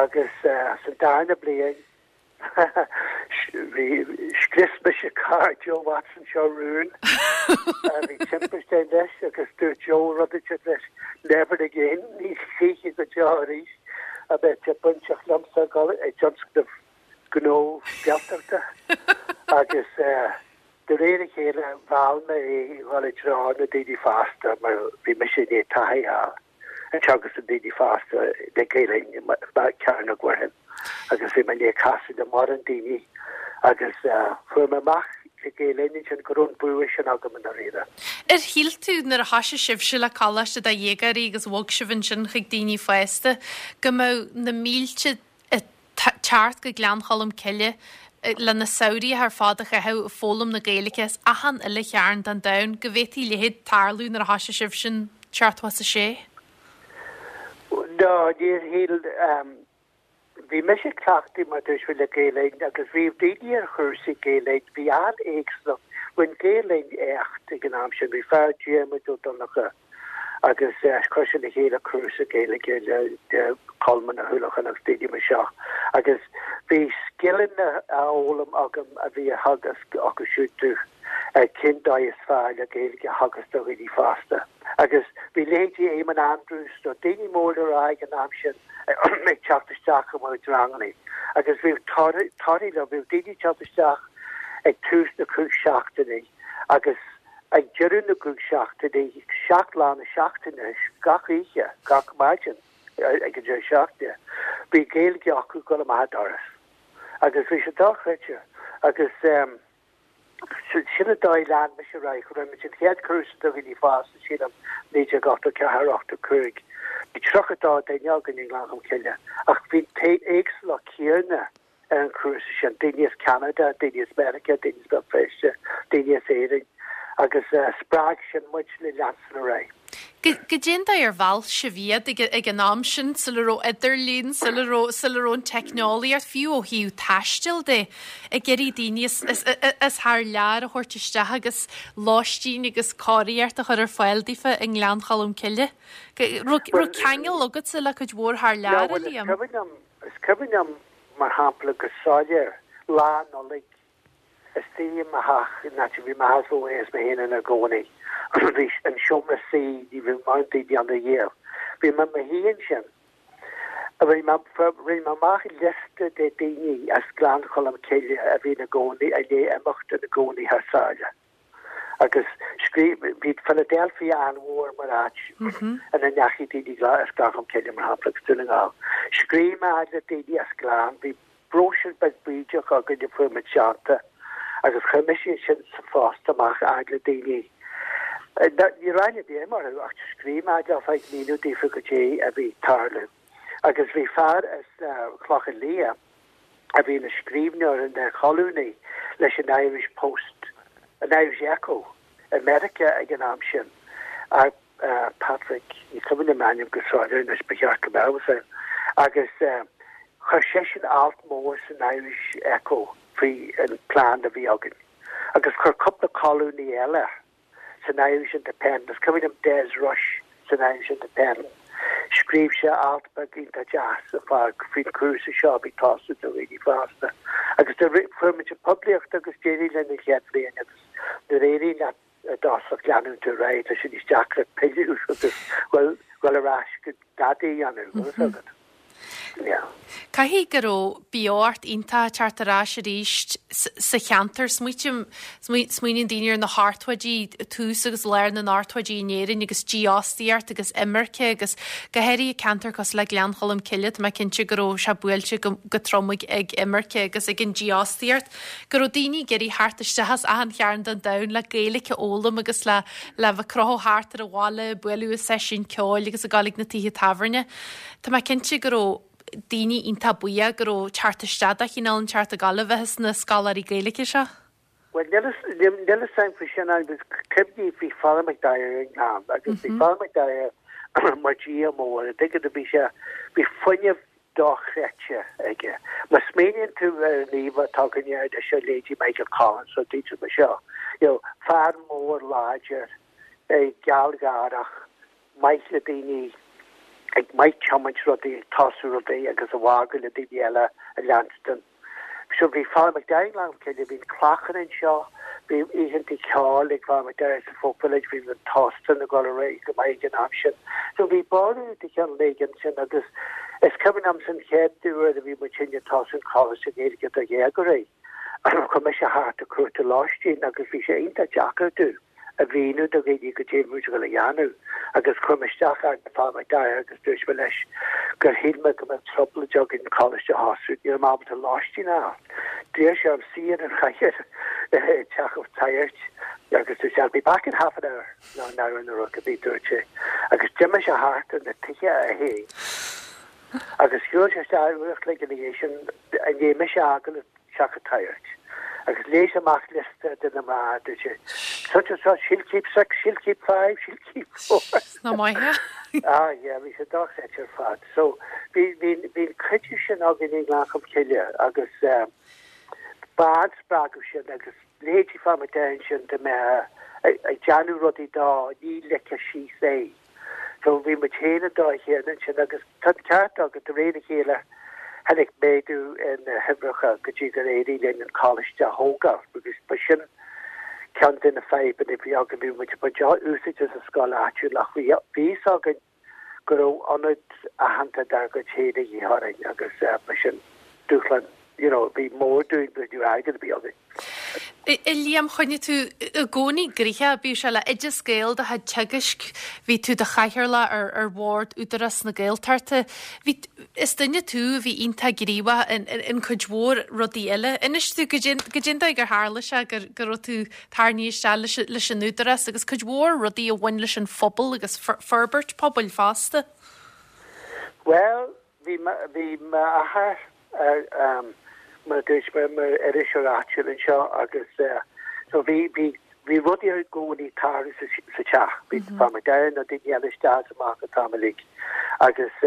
agus sa darna bliain Bhí, scrios mise carr Joe Watson seo rún. Bhí timpiste ann leis agus dúirt Joe rud inteacht leis, never again, ní choíche go deo arís a bheadh sé bainteach liomsa ag dul i dtionscnamh gnó Gaeltachta. Agus de réir a chéile mheall mé é a dhul i dtreo na daoine fásta mar bhí mise i ndiaidh taithí a fháil. ag teagasc do daoine fásta le Gaelainn i gCearnóg Mhuirfean agus bhí mé i ndiaidh casadh le mórán daoine agus fuair mé amach le Gael-Linn ansin go raibh an bua sin agam i ndáiríre. Ar shíl tú nuair a thoisigh sibhse le coláiste do dhéagóirí agus bhog sibh ansin chuig daoine fásta go mbeadh na mílte ag teacht go Gleann Cholm Cille le na samhraí ar fad a chaitheamh ag foghlaim na Gaeilge as achan uile chearn den domhan, go bhféadfaí a leithéid tarlú nuair a thoisigh sibh sin 76? No, níor shíl. Bhí mise cleachtaithe mar dúirt mé le Gael-Linn agus bhí daoine ar chúrsaí Gael-Linn, bhí an-éagsúlacht, rinne Gael-Linn éacht ag an am sin, bhí fear Diarmuid Ó Donnchadha, agus chuir sé le chéile cúrsa Gaeilge le Colmán Ó hUallacháin agus daoine mar seo agus bhí scileanna á fhoghlaim agam a bhí á theagasc acu siúd domh ar cén dóigh is fearr le Gaeilge a theagasc do dhaoine fásta. Agus bhí leithéidí Éamonn Andrews nó daoine mór le rá ag an am sin ag teacht isteach i mo chuid ranganna agus bhí torthaí leo, bhí daoine ag teacht isteach ag tús na gcúig seachtainí agus Ag deireadh na gcúig seachtainí, 7 lá na seachtaine, gach oíche, gach maidin ag an deireadh seachtaine, bhí Gaeilge acu ag dul amach an doras. Agus bhí sé dochreidte. Agus sin an dóigh lean mise ar aghaidh. Rinne muid an chéad chúrsa do dhaoine fásta, sílim, 1984, 85. Bhí 32 duine againn i nGleann Cholm Cille. Ach bhí an éagsúlacht chéanna ar an chúrsa sin, daoine as Ceanada, daoine as Meiriceá, daoine as Béal Feirste, daoine as Éirinn, agus spreag sin muid le leanstan ar aghaidh. Goidé an dóigh ar mheall sibh iad ag an am sin, sula raibh idirlíon, sula raibh, sula raibh an teicneolaíocht, fiú ó thaobh taistil de, ag iarraidh daoine as thar lear a thabhairt isteach agus lóistín agus cóiríocht a chur ar fáil daofa i nGleann Cholm Cille? Raibh ceangal agatsa le cuid mhór thar lear, a Liam? Is cuimhin liom, mar shampla, go soiléir, Lá Nollag, istigh i mo theach, in áit a bhí m'athair is mo mháthair is mé féin inár gcónaí. Bhí an seomra suí, ní raibh mórán daoine ann riamh. Bhí mé i mo shuí ansin. Rinne mé, rinne mé amach liosta de daoine as Gleann Cholm Cille a bhí ina gcónaí, i ndiaidh imeacht ina gcónaí thar sáile. Agus scríobh, bhí Philadelphia an-mhór mar áit ina ndeachaigh daoine as Gleann Cholm Cille, mar shampla, agus Dún na nGall. Scríobh mé fhad le daoine as Gleann, bhí bróisiúr beag bídeach againn a fuair muid déanta agus chuir mise sin sa phost amach fhad le daoine. Ní raibh aithne ar bith agam orthu ach scríobh mé fhad leo ag míniú daofa goidé a bhí ag tarlú. Agus bhí fear as Clochán Liath, a bhí ina scríbhneoir, ina cholúnaí leis an Irish Post, an Irish Echo i Meiriceá ag an am sin, Patrick, ní cuimhin liom a ainm go soiléir anois, ba cheart go mbeadh a fhios agam, agus chuir seisean alt mór san Irish Echo faoi an plean a bhí againn, agus chuir cúpla colúnaí eile san Irish Independent, is cuimhin liom Des Rush san Irish Independent, scríobh sé alt beag iontach deas ar fad faoin chúrsa seo a bhí ag tosú do dhaoine fásta. Agus do fuair muid an poiblíocht agus d'éirigh linn an chéad bhliain agus nuair a éiríonn leat i dtosach leanann tú ar aghaidh, tá sé níos deacra pilleadh agus dhul ar ais go dadaí a dhéanamh, bhfuil fhios agat. Yeah. Caithfidh go raibh beocht iontach ag teacht ar ais arís sa cheantar. Smaoitím, smaoiníonn daoine ar na hochtóidí, tús agus lár na n-ochtóidí in Éirinn agus dífhostaíocht agus imirce agus go háirithe ceantar cosúil le Gleann Cholm Cille, tá mé cinnte go raibh sé buailte go trom ag imirce agus ag an dífhostaíocht, go raibh daoine ag iarraidh theacht isteach as achan chearn den domhan le Gaeilge a fhoghlaim agus le le bheith ag crochadh thart ar an bhaile, bualadh i seisiúin ceoil agus ag dul ag na tithe tábhairne. Tá mé cinnte go raibh daoine iontach buíoch go raibh teacht isteach de chineál inteacht ag gabháil a bheith sna scoláirí Gaeilge seo. Bhuel, níl a fhios agam faoi sin agus cuimhnigh bhí Father McDyer i nGleann agus bhí Father McDyer mar dhia mór, an dtuigeann tú, bhí sé, bhí fuinneamh dochreidte aige. Má smaoiníonn tú ar an íomhá atá againne anois ar leithéidí Michael Collins nó daoine mar seo, you know, fear mór láidir, gealgháireach, maith le daoine, ag maith tiomáint rudaí, ag tosú rudaí agus ag fágáil le daoine eile a leanstan. So bhí Father McDyer i nGleann Cholm Cille, bhí an Clachán anseo, bhí oícheanta ceoil ag Father McDyer sa Folk Village, bhí an tÓstán ag dul ar aghaidh go maith ag an am sin. So bhí borradh de chineál éigin ansin agus is cuimhin liomsa an chéad uair a bhí muid féin ag tosú an Choláiste Gaeilge do dhéagóirí, chuaigh mise thart ag cuartú lóistín agus bhí sé iontach deacair domh. a mhíniú do dhaoine goidé a bhí muid ag dul a dhéanamh agus chuir mé isteach ar Father McDyer agus dúirt mé leis gur shíl mé go mbeadh trioblóid againn an coláiste a thosú, ní raibh mé ábalta lóistín a fháil. D'iarr sé orm suí ar an chathaoir i dteach an tsagairt agus dúirt sé I'll be back in half an hour nó an hour nó rud ar bith dúirt sé agus d'imigh sé thart ar na tithe é féin agus shiúil sé isteach uair a chloig ina dhiaidh sin i ndiaidh mise a fhágáil teach an tsagairt. Agus léigh sé amach liosta de na mná, dúirt sé, such and such, she'll keep six, she'll keep five, she'll keep four. Nach maith é? Ah yeah, bhí sé dochreidte ar fad. So, bhí, bhí, bhí an cuidiú sin againn i nGleann Cholm Cille agus eh, ba an-spreagadh sin agus leithéidí Father McDyer ansin dá mbeifeá ag déanamh rudaí dó, ní ligfeadh síos é. So bhí muid féin an dóigh chéanna ansin agus tá an ceart agat, de réir a chéile tháinig méadú ar na huimhreacha go dtí gur éirigh linn an coláiste a thógáil agus ba sin ceann de na fadhbanna a bhí againn, bhí muid ag baint úsáid as an scoil áitiúil ach bhí a fhios againn go raibh ionad aitheanta dár gcuid féin a dhíth orainn agus ba sin dúshlán you know, bhí mór dúinn but ní raibh airgead ar bith againn. A Liam, choinnigh tú i gcónaí gnoitheach, bíodh sé le Oideas Gael do chuid teagaisc, bhí tú do chathaoirleach ar ar bhord Údarás na Gaeltachta. Bhí, is duine tú a bhí iontach gníomhach in in cuid mhór rudaí eile. Inis dúinn goidé goidé an dóigh gur tharla sé gur go raibh tú tarraingthe isteach leis leis an Údarás agus cuid mhór rudaí a bhain leis an phobal agus forbairt pobail fosta. Bhuel, Bhí bhí m'athair ar mar a dúirt mé mar iriseoir áitiúil anseo agus so bhí bhí bhí rudaí i gcónaí ag tarlú sa sa teach. Bhí Father McDyer nó daoine eile isteach is amach an t-am uilig agus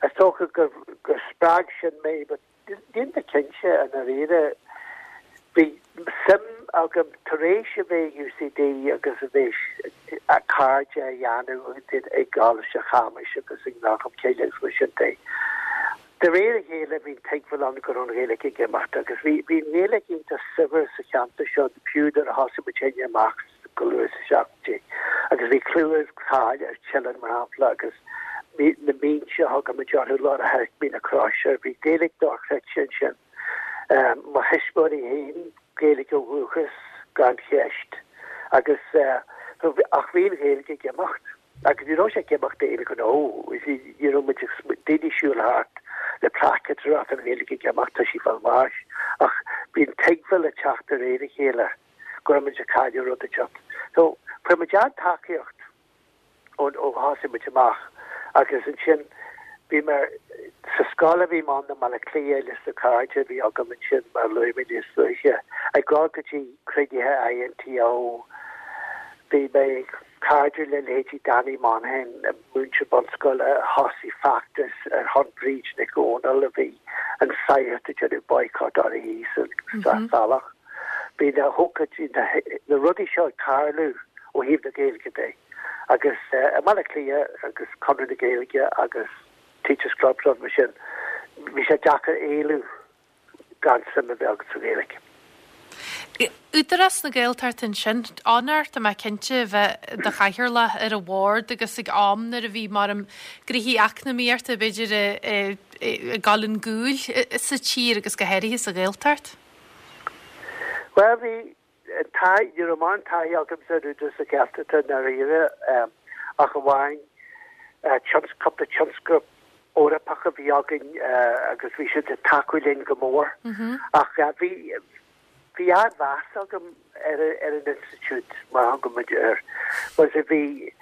is dócha gur gur spreag sin mé but Níl mé cinnte, i ndáiríre. Bhí suim agam tar éis a bheith i UCD agus a bheith cairde a dhéanamh i gColáiste Chamuis agus i nGleann Cholm Cille agus mar sin de. De réir a chéile bhí an tuigbheáil ann go raibh an Ghaeilge ag imeacht agus bhí bhí an Ghaeilge iontach saibhir sa cheantar seo fiú nuair a thosaigh muid féin amach go luath sna seachtóidí agus bhí clú agus cáil ar Teileann mar shampla agus na mínte a thugadh muid orthu lár an Choirc, Mín na Croise, bhí Gaeilge dochreidte ansin. Mo thuismitheoirí féin, Gaeilge ó dhúchas gan cheist agus ach bhí an Ghaeilge ag imeacht agus ní raibh sé ag imeacht d'aon ghnó, ní raibh muid ag daoine ag siúl thart le plaiceád ag rá tá an Ghaeilge ag imeacht, tá sí fá bháis ach bhí an tuigbheáil ag teacht de réir a chéile. go raibh muid ag cailleadh rud inteacht. So, fuair muid an-tacaíocht ó ó thosaigh muid amach agus ansin bhí mé sa scoil a bhí mé ann i mBaile Átha Cliath leis na cairde a bhí agam ansin mar a luaigh mé níos luaithe, ag dul go dtí cruinnithe INTO, bhí mé cairdiúil le leithéidí Danny Monaghan, múinteoir bunscoile a thosaigh feachtas ar shon Bríd Nic Dhomhnaill a bhí an sagart ag déanamh boycott uirthi sa Sraith Salach. Bhí na hócáidí, na rudaí seo ag tarlú ó thaobh na Gaeilge de agus i mBaile Átha Cliath agus Conradh na Gaeilge agus Teachers Club rud mar sin, bhí sé deacair éalú gan suim a bheith agat sa Ghaeilge. Údarás na Gaeltachta ansin, onóir tá mé cinnte a bheith i do chathaoirleach ar an bhord agus ag am nuair a bhí mar gnoithí eacnamaíochta b'fhéidir ag dul chun gcúil sa tír agus go háirithe sa Ghaeltacht. Bhuel bhí taithí, ní raibh mórán taithí agamsa ar Údarás na Gaeltachta i ndáiríre ach amháin cúpla tionscnamh Eorpach a bhí againn agus bhí siad ag tacú linn go mór. Ach bhí bhí an-mheas agam ar ar an institiúid mar a thugann muid air. Mar bhí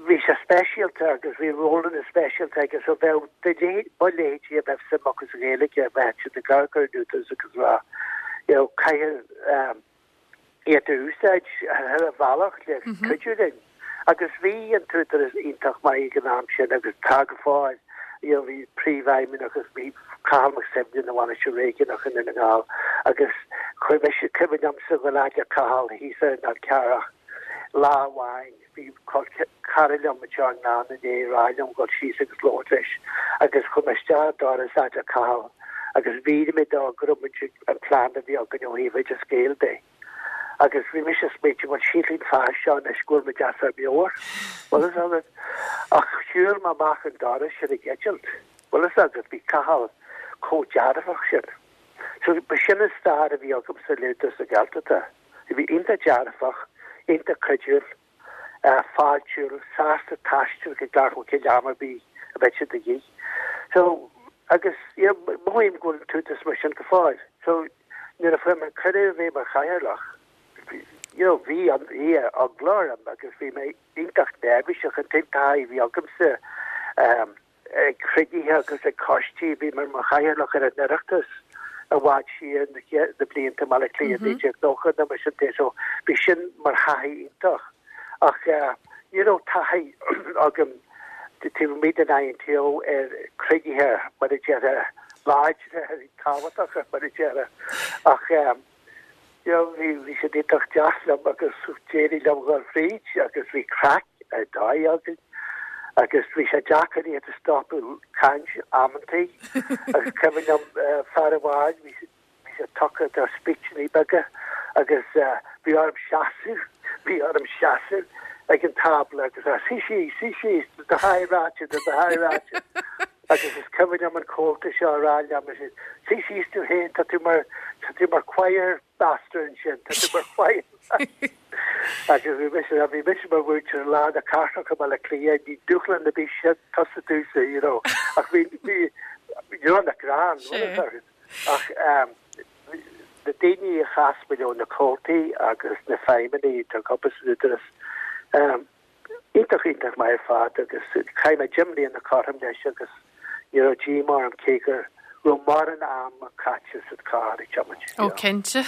bhí sé speisialta agus bhí rólanna speisialta aige so bheadh do mo leithéidí a bheadh suim acu sa Ghaeilge bheadh siad ag amharc ar an Údarás agus rá you know caithfidh iad a úsáid ar chuile bhealach le cuidiú linn. Agus bhí an tÚdarás iontach maith ag an am sin agus tá go fóill. You know, bhí príomhfheidhmeannach agus bhí Cathal Mac Suibhne ina bhainisteoir réigiúnach i nDún na nGall agus chuir mise cuimhin liomsa dhul fhad le Cathal thíos ar an Fhál Carrach lá amháin bhí cara liom anseo i nGleann i ndiaidh rá liom dhul síos agus labhairt leis agus chuaigh mé isteach an doras fhad le Cathal agus mhínigh mé dó go raibh muid an plean a bhí againn ó thaobh Oideas Gael de. Agus bhí mise ag smaointiú, bhuel, sílfidh an fear seo anois go bhfuil muid as ár meabhair, bhfuil fhios agat. Ach shiúil mé amach an doras sin ag eitilt, bhfuil fhios agat, bhí Cathal chomh dearfach sin. So b'shin an stair a bhí agamsa le Údarás na Gaeltachta. Bhí iontach dearfach, iontach cuidiúil. fáiltiúil, sásta taisteal go Gleann Cholm Cille am ar bith a bheadh sé de dhíth. So, agus, you know, mothaím go bhfuil an tÚdarás mar sin go fóill. So, nuair a fuair mé cuireadh a bheith mar chathaoirleach, you know, bhí an, bhí eagla orm agus bhí mé iontach neirbhíseach, an t-aon taithí a bhí agamsa, um, ag cruinnithe agus ag coistí. Bhí mé mar chathaoirleach ar an Oireachtas i bhfad siar na blianta i mBaile Átha Cliath 1990 nó mar sin de so bhí sin mar thaithí iontach. Ach ní raibh taithí agam taobh amuigh den INTO ar chruinnithe mar a déarfá láidre tábhachtacha mar a déarfá. Ach You know, bhí, bhí siad iontach deas liom agus d'éirigh liom dhul fríd agus bhí craic ar dóigh againn agus bhí sé deacair iad a stopadh caint amantaí agus cuimhin liom fear amháin, bhí sé, bhí sé tugtha do speechannaí beaga agus bhí orm seasamh, bhí orm seasamh ag an tábla agus a suigh síos, suigh síos, tá do thaithí ráite, tá do thaithí ráite. Agus is cuimhin liom an comhalta seo a rá liom, suigh síos tú féin, tá tú mar, tá tú mar choir master ansin, tá tú mar choir master. Agus bhí mise, bhí mise mar mhúinteoir i lár na cathrach i mBaile Átha Cliath, ní dúshlán ar bith sin tusa domhsa, you know. Ach bhí, bhí, you know, na greann, ach um, na daoine a chas mé leo, na comhaltaí agus na feidhmeannaigh atá ag obair san Údarás, um, Iontach, iontach maith ar fad agus chaith mé 10 mbliana cothrom leis agus ní raibh díomá orm cé go raibh mórán ama caite sa charr ag tiomáint. Ó cinnte.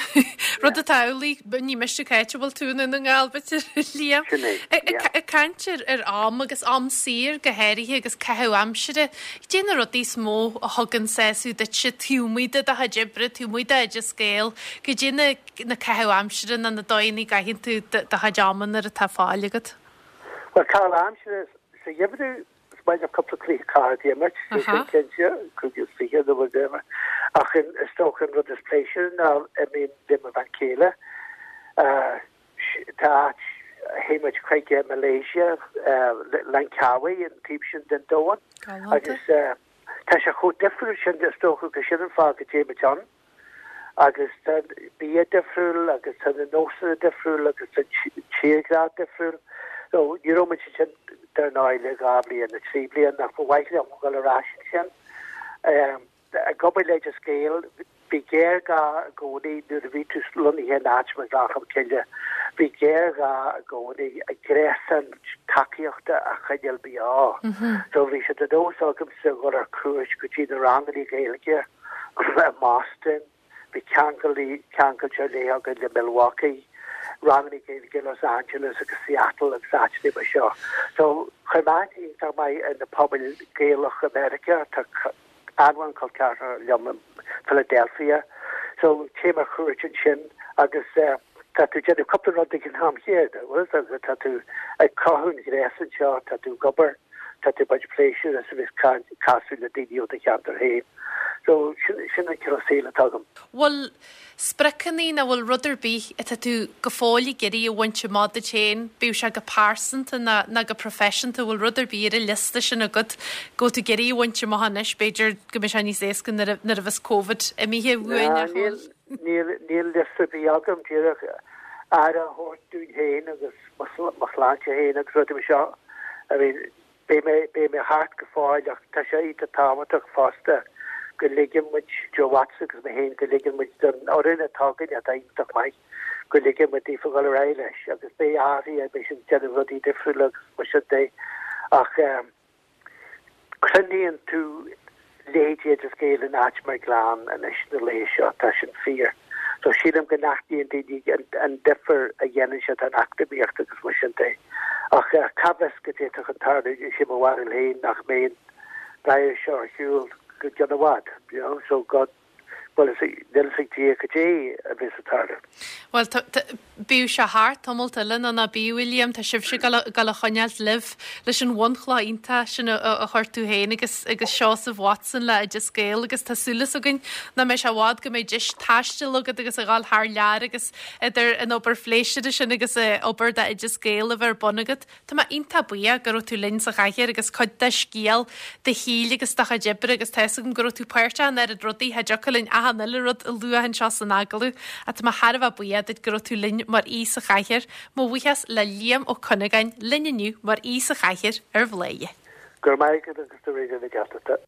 Rud atá amhlaidh, ní miste cá háit a bhfuil tú i nDún na nGall, b'fhéidir, Liam. Sin é, yeah. Ag caint ar am agus am saor go háirithe agus caitheamh aimsire, cad é na rudaí is mó a thugann sásamh duitse taobh amuigh de do chuid oibre, taobh amuigh d'Oideas Gael, cad é na na caitheamh aimsire nó na dóigheanna a gcaitheann tú do chuid ama nuair atá fáil agat? Bhuel, caitheamh aimsire sa gheimhreadh, is maith liom cúpla cluiche cártaí a imirt, sé sin cinnte, 25 nó whatever. Ach is dócha an rud is pléisiúr ná imím le mo bhean chéile. Tá áit, théann muid chuig Malaysia, Langkawi, an taobh sin den domhan. Agus tá sé chomh difriúil sin, is dócha gur sin an fáth go dtéimid ann. Agus tá an bia difriúil agus tá na nósanna difriúil agus tá an tírdhreach difriúil. So ní raibh muid ansin dar ndóigh le 2 bhliain nó 3 bliana ach ba mhaith liom dul ar ais ansin. Ag obair le Oideas Gael, bhí géarghá i gcónaí nuair a bhí tú lonnaithe in áit mar Ghleann Cholm Cille, bhí géarghá i gcónaí gréasán tacaíochta a choinneáil beo. So bhí sé de nós agamsa dhul ar cuairt go dtí na ranganna Gaeilge i mBoston, bhí ceangal ceangailte ar leith againn le Milwaukee, ranganna Gaeilge i Los Angeles agus Seattle agus áiteanna mar seo. So chuir mé aithne iontach maith ar na pobail Gaelach i Meiriceá, tá an-mhórán col ceathracha liom i Philadelphia. So téim ar chuairt ansin agus tá tú ag déanamh cúpla rud ag an am chéanna, bhfuil fhios agat, tá tú ag cothú an ghréasáin seo, tá tú ag obair. Tá tú ag baint pléisiúr as a bheith ag casadh le daoine ó do cheantar féin. So, sin, sin an cineál saoil atá agam. Bhfuil spriocanna nó bhfuil rud ar bith atá tú go fóill ag iarraidh a bhaint amach duit féin, bíodh sé go pearsanta ná, ná go proifisiúnta, bhfuil rud ar bith ar an liosta sin agat go bhfuil tú ag iarraidh a bhaint amach anois, b'fhéidir go mbeidh sé níos éasca nuair a, nuair a bheas Covid imithe uainn, nach bhfuil? Níl, níl liosta ar bith agam, díreach aire a thabhairt dúinn féin agus mo shláinte féin agus rudaí mar seo. I mean, beidh mé, beidh mé thart go fóill ach tá sé iontach tábhachtach fosta go ligeann muid, Joe Watson agus mé féin, go ligeann muid don fhoireann atá againn atá iontach maith, go ligeann muid daofa dhul ar aghaidh leis agus beidh athruithe, beidh siad ag déanamh rudaí difriúla agus mar sin de ach eh, Cruinníonn tú leithéidí Oideas Gael in áit mar Gleann anois na laethe seo, tá sin fíor. So sílim go n-aithníonn daoine an difear a dhéanann sé don eacnamaíocht agus mar sin de. Ach cá bhfios go bhféadfadh an tarlú, is é mo bharúil féin nach mbeidh an virus seo ar shiúl go ceann i bhfad, you know, so God Bhuel, níl a fhios ag Dia cad é a bheas ag tarlú. Bhuel, bíodh sé thart tamalt eile nó ná bíodh, a Liam, tá sibhse ag dul a choinneáilt libh leis an bhunchloch iontach sin a chuir tú féin agus agus Seosamh Watson le Oideas Gael agus tá súil againn nach mbeidh sé i bhfad go mbeidh deis taistil agat agus a dhul thar lear agus idir an obair phléisiúrtha sin agus obair d'Oideas Gael a bheith ar bun agat. Tá mé iontach buíoch go raibh tú linn sa chathaoir agus cuid de scéal do shaoil agus do chuid oibre agus tá fhios agam go raibh tú páirteach in oiread rudaí, cha dtiocfadh linn achan uile rud a lua anseo san agallamh ach tá mé thar a bheith buíoch duit go raibh tú linn mar aoi sa chathaoir. Mo bhuíochas le Liam Ó Cuinneagáin linn inniu mar aoi sa chathaoir ar Bhladhaire. Go raibh maith agat agus do Raidió na Gaeltachta.